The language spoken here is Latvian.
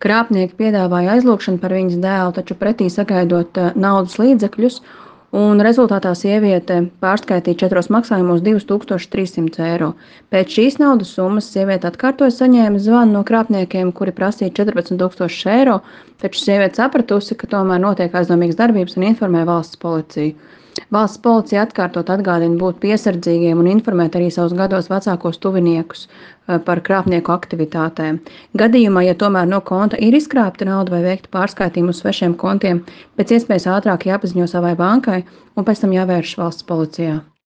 Krāpnieki piedāvāja aizlūgšanu par viņas dēlu, taču pretī sagaidot naudas līdzekļus, un rezultātā sieviete pārskaitīja 4 maksājumos 2300 eiro. Pēc šīs naudas summas sieviete atkārtoja saņēma zvanu no krāpniekiem, kuri prasīja 14 000 eiro, taču sieviete sapratusi, ka tomēr notiek aizdomīgas darbības un informē valsts policiju. Valsts policija atkārtot atgādina būt piesardzīgiem un informēt arī savus gados vecākos tuviniekus par krāpnieku aktivitātēm. Gadījumā, ja tomēr no konta ir izkrāpta nauda vai veikta pārskaitījumu uz svešiem kontiem, pēc iespējas ātrāk jāpaziņo savai bankai un pēc tam jāvēršas valsts policijā.